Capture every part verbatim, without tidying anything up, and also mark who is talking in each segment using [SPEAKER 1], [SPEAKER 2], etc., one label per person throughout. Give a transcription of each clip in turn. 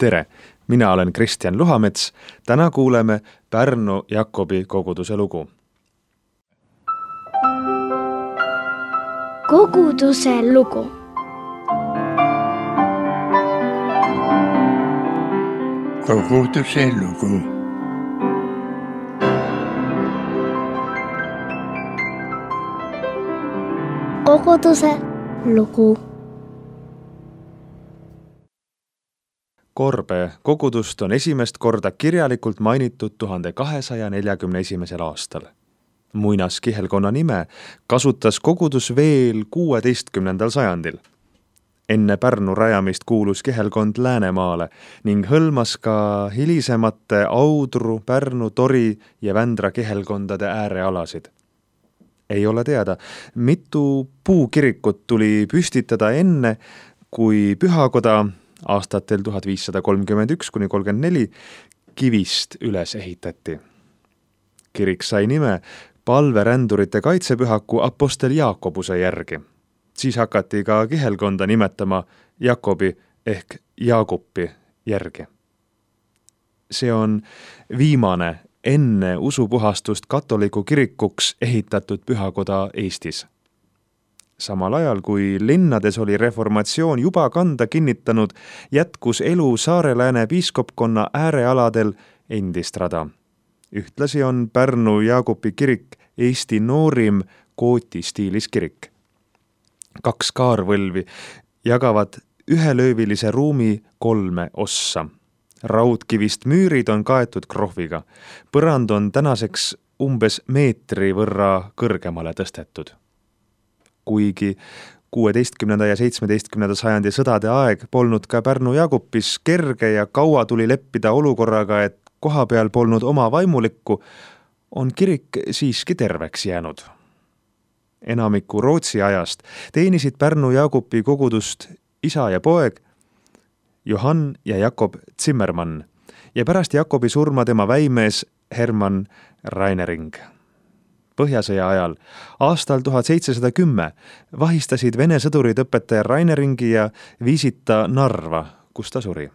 [SPEAKER 1] Tere! Mina olen Kristjan Luhamets. Täna kuuleme Pärnu Jakobi koguduse lugu.
[SPEAKER 2] Koguduse lugu.
[SPEAKER 3] Koguduse lugu.
[SPEAKER 2] Koguduse lugu.
[SPEAKER 1] Korbe kogudust on esimest korda kirjalikult mainitud tuhande kahesaja neljakümne esimesel aastal. Muinas kihelkonna nime kasutas kogudus veel kuueteistkümnendal sajandil. Enne Pärnu rajamist kuulus kihelkond Läänemaale ning hõlmas ka hilisemate Audru, Pärnu, Tori ja Vändra kihelkondade äärealasid. Ei ole teada, mitu puukirikut tuli püstitada enne, kui pühakoda aastatel tuhat viissada kolmkümmend üks kuni kolmkümmend neli kivist üles ehitati. Kirik sai nime palverändurite kaitsepühaku apostel Jaakobuse järgi. Siis hakati ka kihelkonda nimetama Jakobi ehk Jaagupi järgi. See on viimane enne usupuhastust katoliku kirikuks ehitatud pühakoda Eestis. Samal ajal, kui linnades oli reformatsioon juba kanda kinnitanud, jätkus elu Saare-Lääne piiskopkonna äärealadel endist rada. Ühtlasi on Pärnu Jaagupi kirik Eesti noorim kootistiilis kirik. Kaks kaarvõlvi jagavad ühelöövilise ruumi kolme ossa. Raudkivist müürid on kaetud krohviga. Põrand on tänaseks umbes meetri võrra kõrgemale tõstetud. Kuigi kuueteistkümnenda ja seitsmeteistkümnenda sajandi sõdade aeg polnud ka Pärnu Jaagupis kerge ja kaua tuli leppida olukorraga, et koha peal polnud oma vaimulikku, on kirik siiski terveks jäänud. Enamiku Rootsi ajast teenisid Pärnu Jaagupi kogudust isa ja poeg Johann ja Jakob Zimmermann ja pärast Jakobi surma tema väimees Hermann Rainering. Põhjasõja ajal, aastal tuhat seitsesada kümme, vahistasid Vene sõdurid õpetaja Raineringi ja viisid ta Narva, kus ta suri.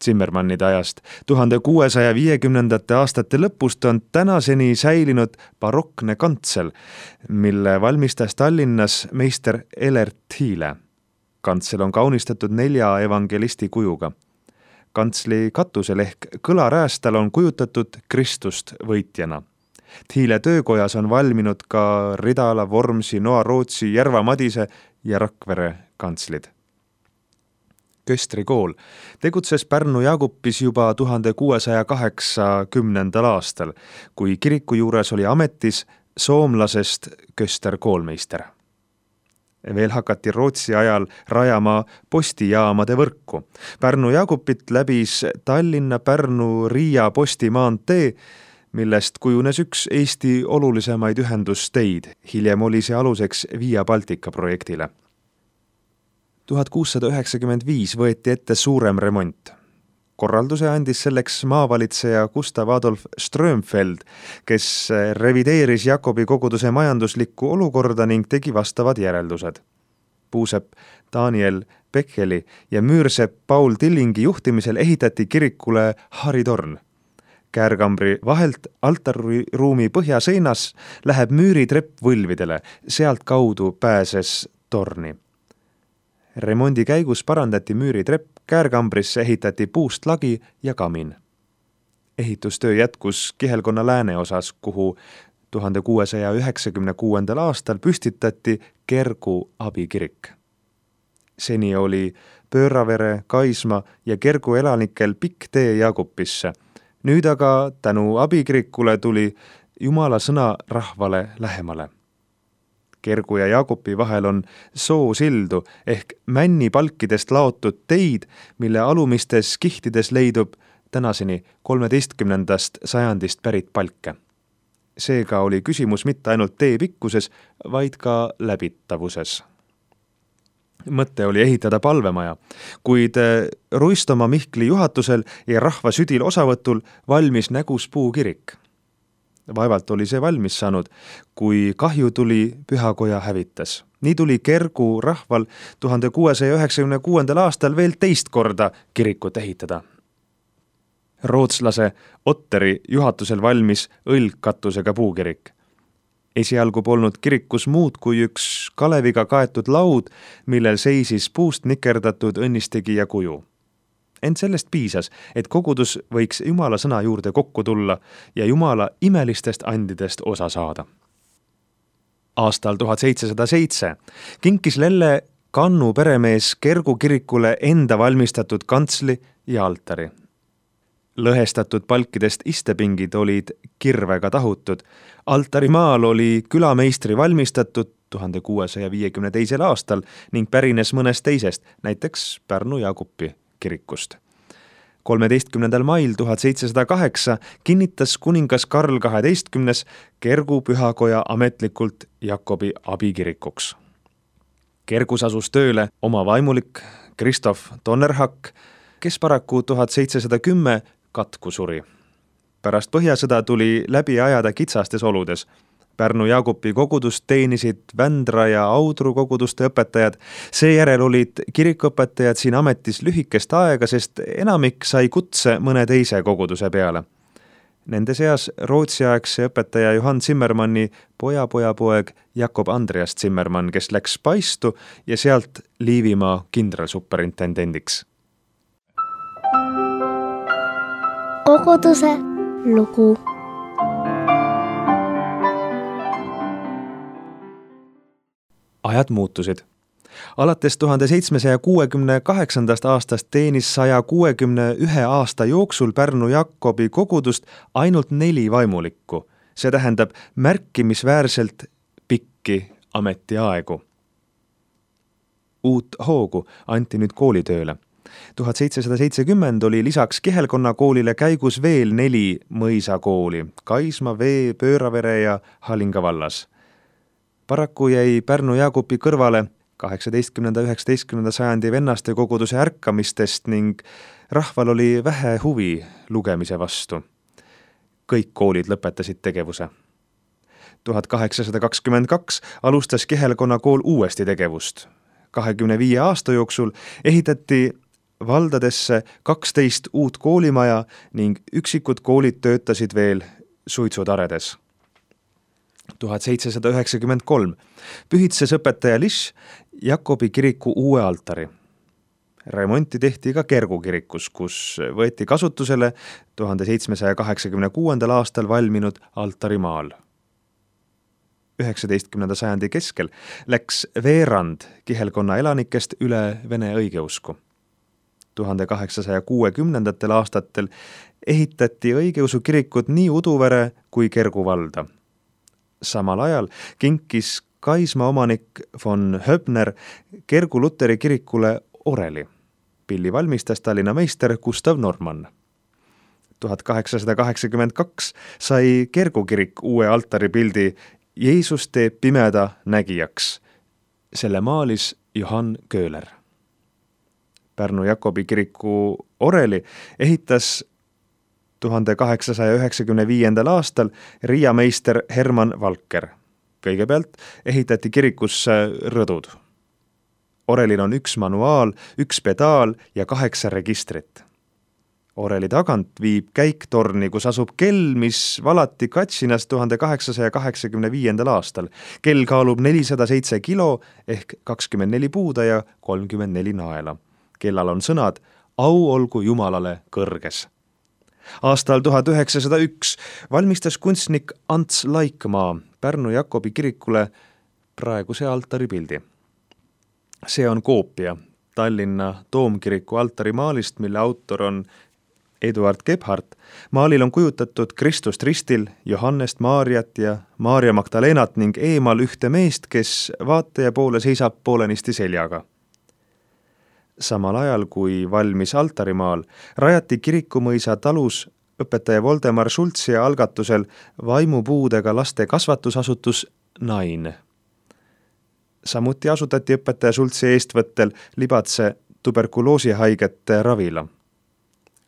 [SPEAKER 1] Zimmermannide ajast tuhande kuuesaja viiekümnendate aastate lõpust on tänaseni säilinud barokne kantsel, mille valmistas Tallinnas meister Elert Thiile. Kantsel on kaunistatud nelja evangelisti kujuga. Kantsli katusel ehk kõlaräästal on kujutatud Kristust võitjana. Thiile töökojas on valminud ka Ridala, Vormsi, Noa-Rootsi, Järva-Madise ja Rakvere kantslid. Köstri kool tegutses Pärnu Jaagupis juba tuhande kuuesaja kaheksakümnendal aastal, kui kiriku juures oli ametis soomlasest Köster koolmeister. Veel hakati Rootsi ajal rajama postijaamade võrku. Pärnu Jaagupit läbis Tallinna, Pärnu, Riia postimaantee, millest kujunes üks Eesti olulisemaid ühendusteid. Hiljem oli see aluseks Via Baltica projektile. tuhat kuussada üheksakümmend viis võeti ette suurem remont. Korralduse andis selleks maavalitseja Gustav Adolf Strömfeld, kes revideeris Jakobi koguduse majanduslikku olukorda ning tegi vastavad järeldused. Puusepp Daniel Bekkeli ja müürsepp Paul Tillingi juhtimisel ehitati kirikule haritorn. Käärkambri vahelt altarruumi põhjaseinas läheb müüritrepp võlvidele, sealt kaudu pääses torni. Remondi käigus parandati müüritrepp, käärkambrisse ehitati puust lagi ja kamin. Ehitustöö jätkus kihelkonna lääne osas, kuhu tuhande kuuesaja üheksakümne kuuendal aastal püstitati Kergu abikirik. Seni oli Pööravere, Kaisma ja Kergu elanikel pikk tee Jaagupisse. Nüüd aga tänu abikirikule tuli Jumala sõna rahvale lähemale. Kergu ja Jaagupi vahel on soosildu ehk männipalkidest laotud teid, mille alumistes kihtides leidub tänaseni kolmeteistkümnendast sajandist pärit palke. Seega oli küsimus mitte ainult tee pikkuses, vaid ka läbitavuses. Mõte oli ehitada palvemaja, kuid Ruistoma Mihkli juhatusel ja rahva südil osavõtul valmis Nägus puukirik. Vaevalt oli see valmis saanud, kui kahju tuli pühakoja hävitas. Nii tuli Kergu rahval tuhande kuuesaja üheksakümne kuuendal aastal veel teist korda kirikut ehitada. Rootslase Otteri juhatusel valmis õlgkatusega puukirik. Esialgu polnud kirikus muud kui üks kaleviga kaetud laud, millel seisis puust nikerdatud õnnistegija kuju. Ent sellest piisas, et kogudus võiks Jumala sõna juurde kokku tulla ja Jumala imelistest andidest osa saada. Aastal tuhat seitsesada seitse kinkis Lelle Kannu peremees Kergu kirikule enda valmistatud kantsli ja altari. Lõhestatud palkidest istepingid olid kirvega tahutud. Altarimaal oli külameistri valmistatud tuhande kuuesaja viiekümne teisel aastal ning pärines mõnest teisest, näiteks Pärnu Jaagupi kirikust. kolmeteistkümnendal mail tuhat seitsesada kaheksa kinnitas kuningas Karl kaheteistkümnes Kergu pühakoja ametlikult Jakobi abikirikuks. Kergus asus tööle oma vaimulik Kristof Tonnerhak, kes paraku tuhat seitsesada kümme katku suri. Pärast põhjasõda tuli läbi ajada kitsastes oludes. Pärnu Jaagupi kogudust teenisid Vändra ja Audru koguduste õpetajad. Seejärel olid kirikuõpetajad siin ametis lühikest aega, sest enamik sai kutse mõne teise koguduse peale. Nende seas rootsiaegse õpetaja Johann Zimmermanni poja poja poeg Jakob Andreas Zimmermann, kes läks Paistu ja sealt Liivimaa kindralsuperintendendiks.
[SPEAKER 2] Koguduse lugu.
[SPEAKER 1] Ajad muutusid. Alates tuhande seitsmesaja kuuekümne kaheksandast aastast teenis saja kuuekümne ühe aasta jooksul Pärnu Jakobi kogudust ainult neli vaimulikku. See tähendab märkimisväärselt pikki ametiaegu. Uut hoogu anti nüüd koolitööle. tuhat seitsesada seitsekümmend oli lisaks Kihelkonna koolile käigus veel neli mõisakooli, Kaisma, Vee, Pööravere ja Halinga vallas. Paraku jäi Pärnu Jaagupi kõrvale kaheksateistkümnenda üheksateistkümnenda sajandi vennaste koguduse ärkamistest ning rahval oli vähe huvi lugemise vastu. Kõik koolid lõpetasid tegevuse. tuhat kaheksasada kakskümmend kaks alustas Kihelkonna kool uuesti tegevust. kahekümne viie aasta jooksul ehitati valdadesse kaksteist uut koolimaja ning üksikud koolid töötasid veel suitsutaredes. tuhat seitsesada üheksakümmend kolm pühitses õpetaja Liš Jakobi kiriku uue altari. Remonti tehti ka Kergu kirikus, kus võeti kasutusele tuhande seitsmesaja kaheksakümne kuuendal aastal valminud altarimaal. üheksateistkümnenda sajandi keskel läks veerand Kihelkonna elanikest üle vene õigeusku. tuhande kaheksasaja kuuekümnendatel aastatel ehitati õigeusu kirikut nii Uduvere kui Kergu valda. Samal ajal kinkis Kaisma omanik von Höbner Kergu luteri kirikule oreli. Pilli valmistas Tallinna meister Gustav Normann. tuhat kaheksasada kaheksakümmend kaks sai Kergu kirik uue altaripildi Jeesus teeb pimeda nägijaks. Selle maalis Johann Köhler. Pärnu Jakobi kiriku oreli ehitas tuhande kaheksasaja üheksakümne viiendal aastal riiameister Herman Valker. Kõigepealt ehitati kirikusse rõdud. Orelil on üks manuaal, üks pedaal ja kaheksa registrit. Oreli tagant viib käiktorni, kus asub kell, mis valati Katsinas tuhande kaheksasaja kaheksakümne viiendal aastal. Kell kaalub nelisada seitse kilo ehk kakskümmend neli puuda ja kolmkümmend neli naela. Kellal on sõnad au olgu Jumalale kõrges. Aastal tuhat üheksasada üks valmistas kunstnik Ants Laikmaa Pärnu Jakobi kirikule praeguse altaripildi. See on koopia Tallinna Toomkiriku altarimaalist, mille autor on Eduard Gebhardt. Maalil on kujutatud Kristust ristil, Johannest, Maarjat ja Maarja Magdalenat ning eemal ühte meest, kes vaataja poole seisab poolenisti seljaga. Samal ajal, kui valmis altarimaal, rajati Kirikumõisa talus õpetaja Voldemar Schultzi algatusel vaimupuudega laste kasvatusasutus Nain. Samuti asutati õpetaja Schultzi eestvõttel Libatse tuberkuloosihaigete ravila.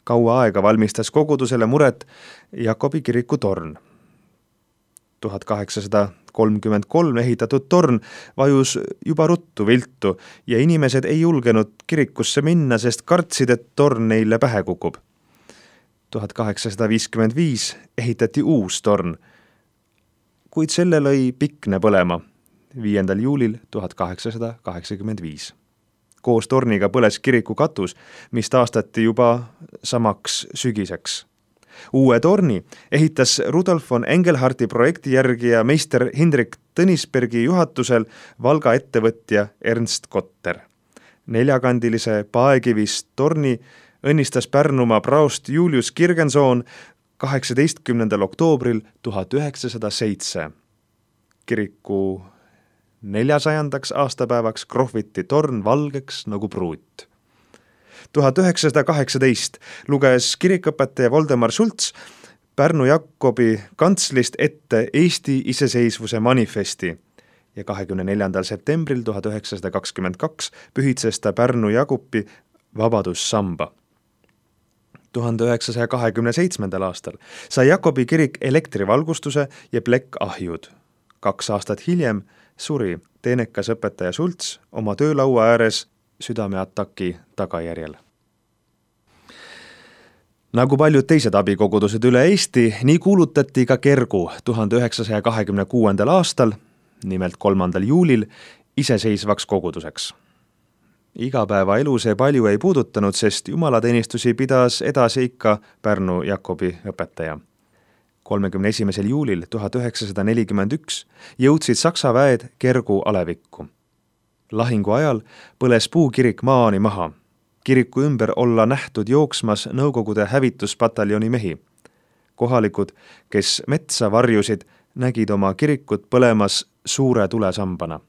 [SPEAKER 1] Kaua aega valmistas kogudusele muret Jakobi kiriku torn. tuhat kaheksasada kolmkümmend kolm ehitatud torn vajus juba ruttu viltu ja inimesed ei julgenud kirikusse minna, sest kartsid, et torn neile pähe kukub. tuhat kaheksasada viiskümmend viis ehitati uus torn, kuid selle lõi pikne põlema viiendal juulil tuhat kaheksasada kaheksakümmend viis. Koos torniga põles kiriku katus, mis taastati juba samaks sügiseks. Uue torni ehitas Rudolf von Engelharti projekti järgi ja meister Hindrik Tõnisbergi juhatusel Valga ettevõtja Ernst Kotter. Neljakandilise paekivist torni õnnistas Pärnumaa praost Julius Kirgensoon kaheksateistkümnendal oktoobril tuhat üheksasada seitse. Kiriku neljasajandaks aastapäevaks krohviti torn valgeks nagu pruut. tuhat üheksasada kaheksateist luges kirikõpetaja Voldemar Schultz Pärnu Jakobi kantslist ette Eesti iseseisvuse manifesti ja kahekümne neljandal septembril tuhat üheksasada kakskümmend kaks pühitses ta Pärnu Jakobi vabadussamba. tuhande üheksasaja kahekümne seitsmendal aastal sai Jakobi kirik elektrivalgustuse ja plekkahjud. Kaks aastat hiljem suri teenekas õpetaja Schultz oma töölaua ääres südameataki tagajärjel. Nagu paljud teised abikogudused üle Eesti, nii kuulutati ka Kergu tuhande üheksasaja kahekümne kuuendal aastal, nimelt kolmandal juulil, iseseisvaks koguduseks. Igapäevaelu see palju ei puudutanud, sest jumalateenistusi pidas edasi ikka Pärnu Jakobi õpetaja. kolmekümne esimesel juulil tuhat üheksasada nelikümmend üks jõudsid Saksa väed Kergu alevikku. Lahingu ajal põles puukirik maani maha. Kiriku ümber olla nähtud jooksmas Nõukogude hävituspataljoni mehi. Kohalikud, kes metsa varjusid, nägid oma kirikut põlemas suure tulesambana.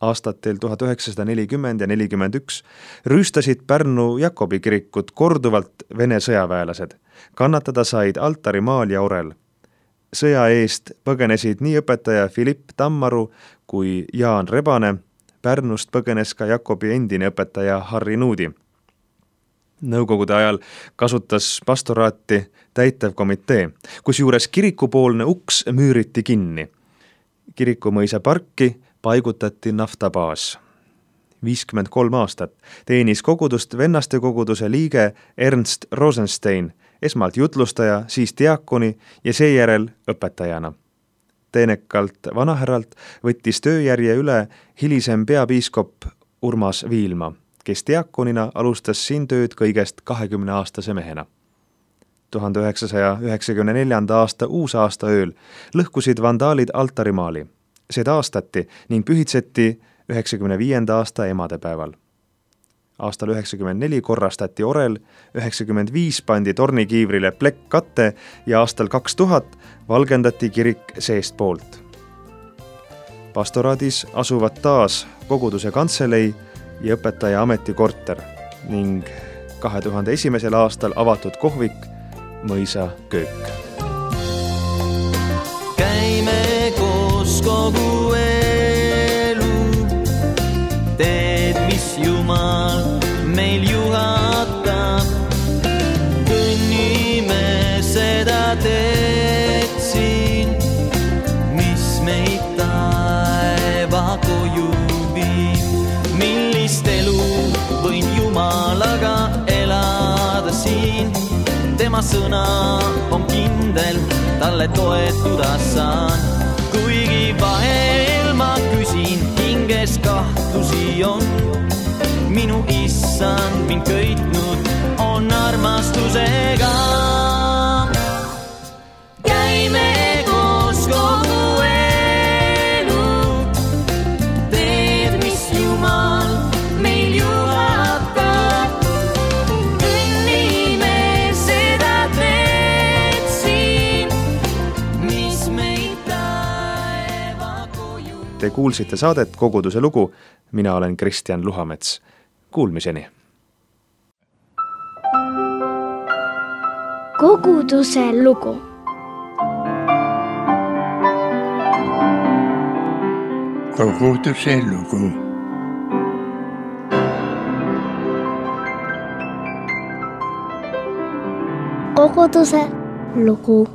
[SPEAKER 1] Aastatel tuhat üheksasada nelikümmend ja nelikümmend üks rüüstasid Pärnu Jakobi kirikut korduvalt Vene sõjaväelased. Kannatada said altarimaal ja orel. Sõja eest põgenesid nii õpetaja Philipp Tammaru kui Jaan Rebane. Pärnust põgenes ka Jakobi endine õpetaja Harri Nuudi. Nõukogude ajal kasutas pastoraati täitevkomitee, kus juures kirikupoolne uks müüriti kinni. Kirikumõisa parki paigutati naftabaas. viiskümmend kolm aastat teenis kogudust vennaste koguduse liige Ernst Rosenstein, esmalt jutlustaja, siis diakoni ja seejärel õpetajana. Teenekalt vanahärralt võttis tööjärje üle hilisem peapiiskop Urmas Viilma, kes diakonina alustas siin tööd kõigest kahekümne aastase mehena. tuhande üheksasaja üheksakümne neljanda aasta uusaasta ööl lõhkusid vandaalid altarimaali. See taastati ning pühitseti üheksakümne viienda aasta emadepäeval. Aastal üheksakümmend neli korrastati orel, üheksakümmend viis pandi tornikiivrile plekkkatte ja aastal kaks tuhat valgendati kirik seest poolt. Pastoraadis asuvad taas koguduse kantselei ja õpetaja ametikorter ning kahe tuhande esimesel aastal avatud kohvik Mõisa köök.
[SPEAKER 4] Käime koos kogu elu, teed, mis Jumal meil juhatab. Kõnnime seda teed siin, mis meid taeva koju viib. Millist elu võin Jumalaga elada siin, tema sõna on kindel, talle toetuda saan. Kuigi vahel ma küsin, hinges kahtlusi on, minu issand mind köitnud on armastusega. Käime koos kogu elu, teed, mis Jumal meil juhatab. Kõnnime seda teed siin, mis meid taeva koju.
[SPEAKER 1] Te kuulsite saadet Koguduse lugu. Mina olen Kristjan Luhamets. Kuulmiseni.
[SPEAKER 2] Koguduse lugu.
[SPEAKER 3] Koguduse lugu.
[SPEAKER 2] Koguduse lugu.